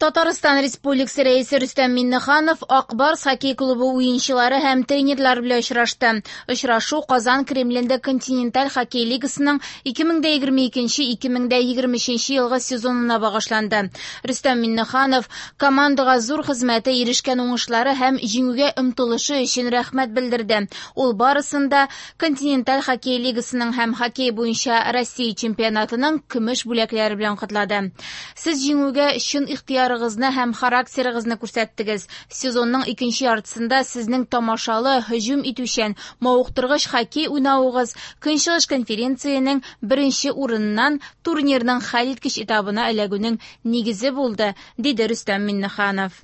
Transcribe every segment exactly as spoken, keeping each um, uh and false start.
Татарстан Республикасы Рәисе Рөстәм Миңнеханов Ак Барс хоккей клубы уенчылары һәм тренерлар белән очрашты. Очрашу Казан Кремлендә континенталь хоккей лигасының ике мең дә егерме икенче-ике мең дә егерме өченче елгы сезонына багышланды. Рөстәм Миңнеханов командага зур хезмәте, ирешкән уңышлары һәм җиңүгә омтылышы өчен рәхмәт белдерде. Ул барысын да континенталь хоккей лигасының һәм хоккей буенча Россия чемпионатының көмеш бүләкләре белән котлады. Сез җиңүгә чын ихтыяр һәм характерыгызны күрсәттегез. Сезонның икенче яртысында сезнең тамашалы, һөҗүм итүчән, мавыктыргыч хоккей уйнавыгыз Көнчыгыш конференциянең беренче урыныннан турнирның хәлиткеч этабына эләгүнең нигезе булды, диде Рөстәм Миңнеханов.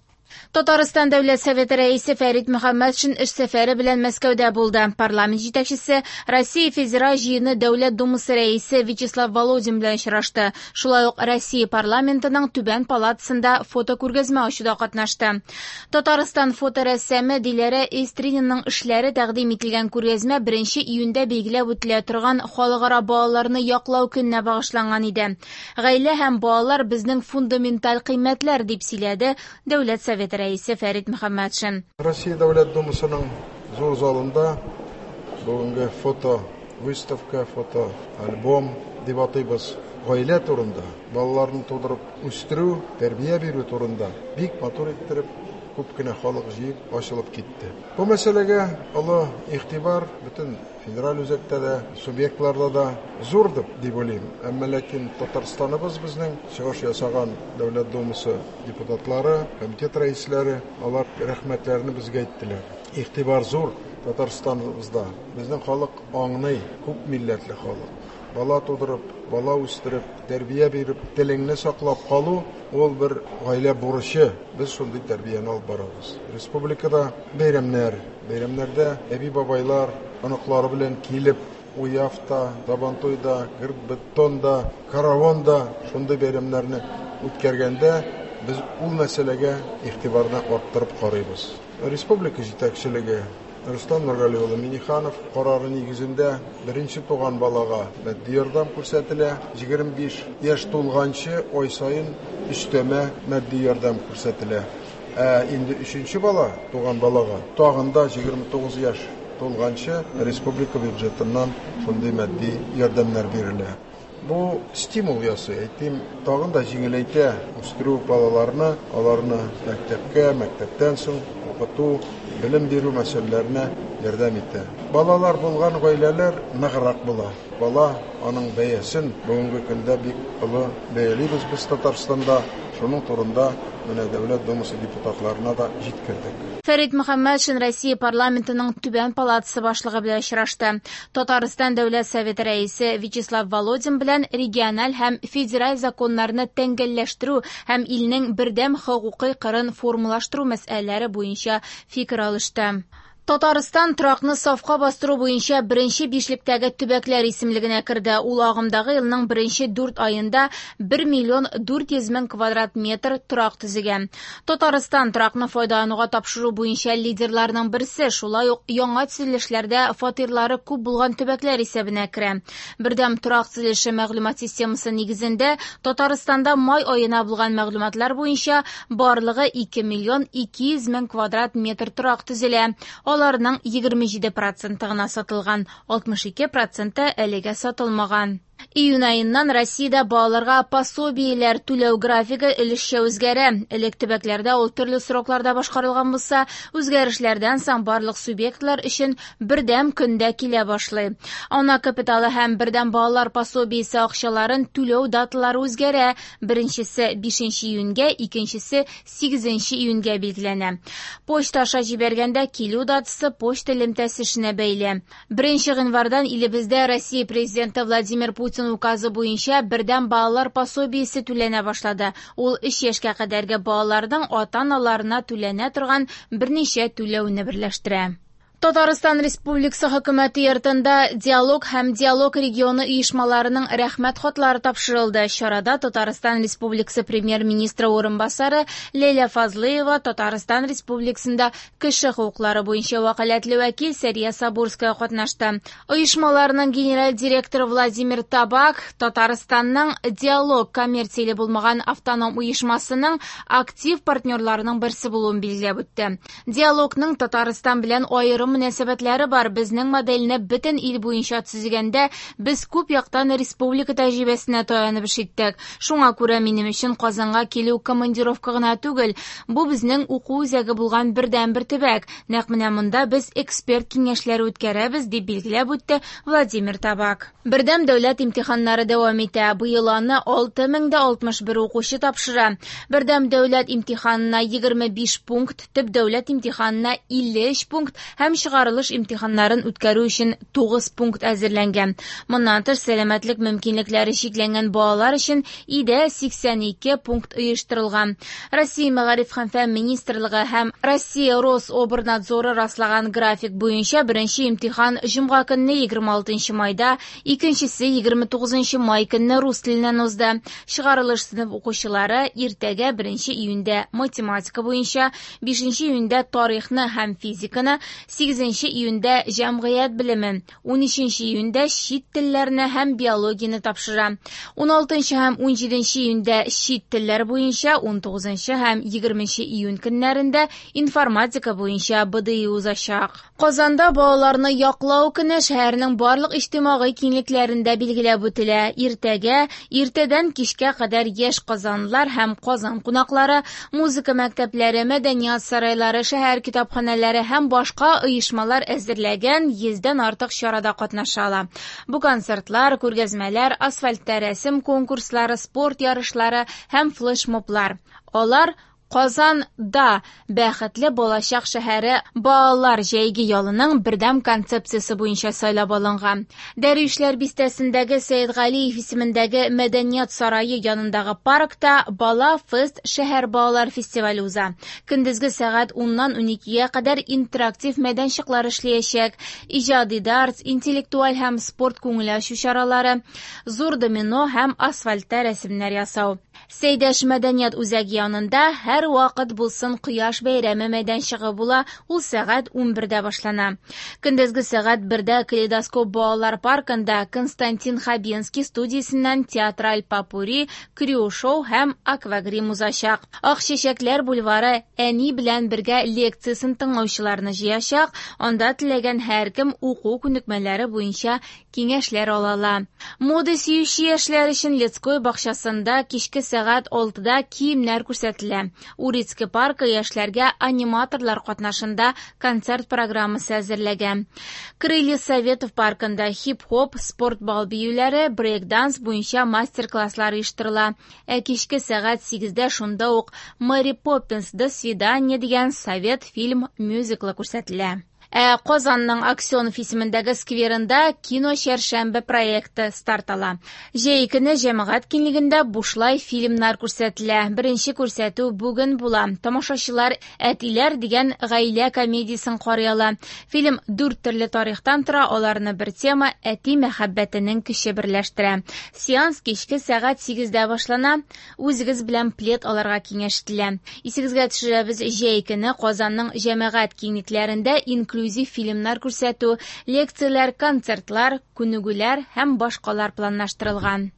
Татарстан Дәүләт Советы рәисе Фәрит Мөхәммәтшин эш сәфәре белән Мәскәүдә булды. Парламент җитәкчесе Россия Федераль Җыены Дәүләт Думасы рәисе Вячеслав Володин белән очрашты. Шулай ук Россия парламентының түбән палатасында фотокүргәзмә ачуда катнашты. Татарстан фоторәссамы Диләрә Эстрининның эшләре тәкъдим ителгән күргәзмә беренче июньдә билгеләп үтелә торган Халыкара балаларны яклау көненә багышланган иде. Гаилә һәм балалар безнең фундаменталь кыйммәтләр, дип сөйләде Дәүләт Советы рәисе Фәрит Мөхәммәтшин. Россия Дәүләт Думасының зур залында бүгенге фото выставка, фото альбом дип атыйбыз. Гаилә турында, балаларны тудырып үстерү, тәрбия бирү турында бик матур иттереп күп кенә халык җыеп ачылып китте. Бу мәсьәләгә олы игътибар бөтен федераль үзәктә дә, субъектларда да зур дип уйлыйм. Әмма ләкин Татарстаныбыз безнең чыгыш ясаган Дәүләт Думасы депутатлары, комитет рәисләре, алар рәхмәтләрен безгә әйттеләр. Игътибар зур Татарстаныбызда. Безнең халык аңлый, күп милләтле халык. Бала тудырып, бала үстереп, тәрбия биреп, телеңне саклап калу ул бер гаилә бурычы. Без шундый тәрбияне алып барабыз. Республикада бәйрәмнәр, бәйрәмнәрдә әби-бабайлар оныклары белән килеп, Уявта, Сабантуйда, Гырбетонда, Каравонда шундый бәйрәмнәрне үткәргәндә без ул мәсьәләгә игътибарны арттырып карыйбыз. Республика җитәкчелеге Рөстәм Нургали улы Миңнеханов карары нигезендә беренче туган балага матди ярдәм күрсәтелә, егерме биш яшь тулганчы ай саен өстәмә матди ярдәм күрсәтелә. Ә инде өченче бала туган балага тагын да егерме тугыз яшь тулганчы республика бюджетыннан шундый матди ярдәмнәр бирелә. Бу стимул ясый, әйтим, тагын да җиңеләйтә үстерү балаларны, аларны мәктәпкә, мәктәптән соң укыту, белем бирү мәсьәләләренә ярдәм итә. Балалар булган гаиләләр ныграк була. Бала аның бәясен бүгенге көндә бик олы бәялибез без Татарстанда. Шуның турында менә Дәүләт Думасы депутатларына да җиткердек. Фәрит Мөхәммәтшин Россия парламентының түбән палатасы башлыгы белән очрашты. Татарстан Дәүләт Советы рәисе Вячеслав Володин белән региональ һәм федераль законнарны тәңгәлләштерү һәм илнең бердәм хокукый кырын формалаштыру мәсьәләләре буенча фикер алышты. Татарстан торакны сафка бастыру буенча беренче бишлектәге төбәкләр исемлегенә керде. Ул агымдагы елның беренче дүрт аенда бер миллион дүрт йөз мең квадрат метр торак төзегән. Татарстан торакны файдалануга тапшыру буенча лидерларның берсе, шулай ук яңа төзелешләрдә фатирлары күп булган төбәкләр исәбенә керә. Бердәм торак төзелеше мәгълүмат системасы нигезендә Татарстанда май аена булган мәгълүматлар буенча барлыгы ике миллион ике йөз мең квадрат метр торак төзелә. Аларның егерме җиде проценты гына сатылган, алтмыш ике проценты әлегә сатылмаган. Июнь аеннан Россиядә балаларга пособиеләр түләү графигы өлешчә үзгәрә. Элек төбәкләрдә ул төрле срокларда башкарылган булса, үзгәрешләрдән соң барлык субъектлар өчен бердәм көндә килә башлый. Ана капиталы һәм бердәм балалар пособиесе акчаларын түләү даталары үзгәрә. Беренчесе бишенче июньгә, икенчесе сигезенче июньгә билгеләнә. Почта аша җибәргәндә килү датасы почта элемтәсе эшенә бәйле. Беренче гыйнвардан илебездә Россия президенты Владимир Путин указы буенча бердәм балалар пособиесе түләнә башлады. Ул өч яшькә кадәрге балаларның ата-аналарына түләнә торган берничә түләүне берләштерә. Татарстан Республикасы Хөкүмәте йортында «Диалог» һәм «Диалог» регионы оешмаларының рәхмәт хатлары тапшырылды. Чарада Татарстан Республикасы Премьер-министры урынбасары Ләйлә Фазлыева, Татарстан Республикасында кеше хокуклары буенча вәкаләтле вәкил Сәрия Сабурская катнашты. Оешмаларның генераль директоры Владимир Табак Татарстанның «Диалог» коммерцияле булмаган автоном оешмасының актив партнерларының берсе булуын билгеләп үтте. «Диалогның Татарстан белән аерым мөнәсәбәтләре бар. Безнең модельне бөтен ил буенча төзегәндә без күп яктан республика тәҗрибәсенә таянып эш иттек. Шуңа күрә минем өчен Казанга килү командировка гына түгел, бу безнең уку үзәге булган бердәнбер төбәк. Нәкъ менә монда без эксперт киңәшләре үткәрәбез, дип билгеләп үтте Владимир Табак. Бердәм дәүләт имтиханнары дәвам итә. Быел аны алты мең дә алтмыш бер укучы тапшыра. Бердәм дәүләт имтиханына егерме биш пункт, төп дәүләт имтиханына илле өч пункт һәм чыгарылыш имтиханнарын үткәрү өчен тугыз пункт әзерләнгән. Моннан тыш, сәламәтлек мөмкинлекләре чикләнгән балалар өчен өйдә сиксән ике пункт оештырылган. Россия Мәгариф һәм фән министрлыгы һәм Россия Рособрнадзоры раслаган график буенча беренче имтихан җомга көнне егерме алтынчы майда, икенчесе егерме тугызынчы май көнне рус теленнән узды. Чыгарылыш сыйныф укучылары иртәгә беренче июньдә математика буенча, бишенче июньдә тарихны һәм физиканы, сигезенче июньдә җәмгыять белемен, унөченче июньдә чит телләрне һәм биологияне тапшыра. Уналтынчы һәм унҗиденче июньдә чит телләр буенча, унтугызынчы һәм егерменче июнь көннәрендә информатика буенча Б Д И узачак. Казанда балаларны яклау көне шәһәрнең барлык иҗтимагый киңлекләрендә билгеләп үтелә. Иртәгә, иртәдән кичкә кадәр яшь казанлылар һәм Казан кунаклары, музыка мәктәпләре, мәдәният сарайлары, шәһәр китапханәләре һәм башка оешмалар әзерләгән йөздән артык чарада катнаша ала. Бу концертлар, күргәзмәләр, асфальтта рәсем конкурслары, спорт ярышлары һәм флешмоблар. Алар Казанда бәхетле балачак шәһәре балалар җәйге ялының бердәм концепциясе буенча сайлап алынган. Дәрвишләр бистәсендәге Сәйдгалиев исемендәге мәдәният сарае янындагы паркта Бала фест шәһәр балалар фестивале уза. Көндезге сәгать уннан уникегә кадәр интерактив мәйданчыклар эшләячәк. Иҗади дартс, интеллектуаль һәм спорт күңел ачу чаралары, зур домино һәм асфальтта рәсемнәр ясау. Сәйдәш мәдәният үзәге янында һәр вакыт булсын кояш бәйрәме мәйданчыгы була, ул сәгать унбердә башлана. Көндезге сәгать бердә Калейдоскоп балалар паркында Константин Хабенский студиясеннән театраль попурри, крю-шоу һәм аквагрим узачак. Ак чәчәкләр бульвары әни белән бергә лекциясен тыңлаучыларны җыячак, анда теләгән һәркем уку күнекмәләре буенча киңәшләр ала ала. Мода сөюче яшьләр өчен Людской бакчасында кичке сәгать алтыда киемнәр күрсәтелә. Урицкий паркы яшьләргә аниматорлар катнашында концерт программасы әзерләгән. Крылья Советов паркында хип-хоп, спорт бал биюләре, брейк-данс буенча мастер-класслар оештырыла. Ә кичке сәгать сигездә шунда ук Мэри Поппинс «До свидания» дигән совет фильм мюзиклы күрсәтелә. Ә Казанның Аксенов исемендәге скверында кино чәршәмбе проекты старт ала. Җәй көне җәмәгать киңлегендә бушлай фильмнар күрсәтелә. Беренче күрсәтү бүген була. Тамашачылар Әтиләр дигән гаилә комедиясен карый ала. Фильм дүрт төрле тарихтан тора, аларны бер тема әти мәхәббәтенең көче берләштерә. Сеанс кичке сәгать сигездә башлана. Үзегез белән плед алырга киңәш ителә. Исегезгә төшерәбез, җәй көне Казанның җәмәгать киңлекләрендә инклюзив фильмнар күрсәтү, лекцияләр, концертлар, күнегүләр һәм башкалар планлаштырылган.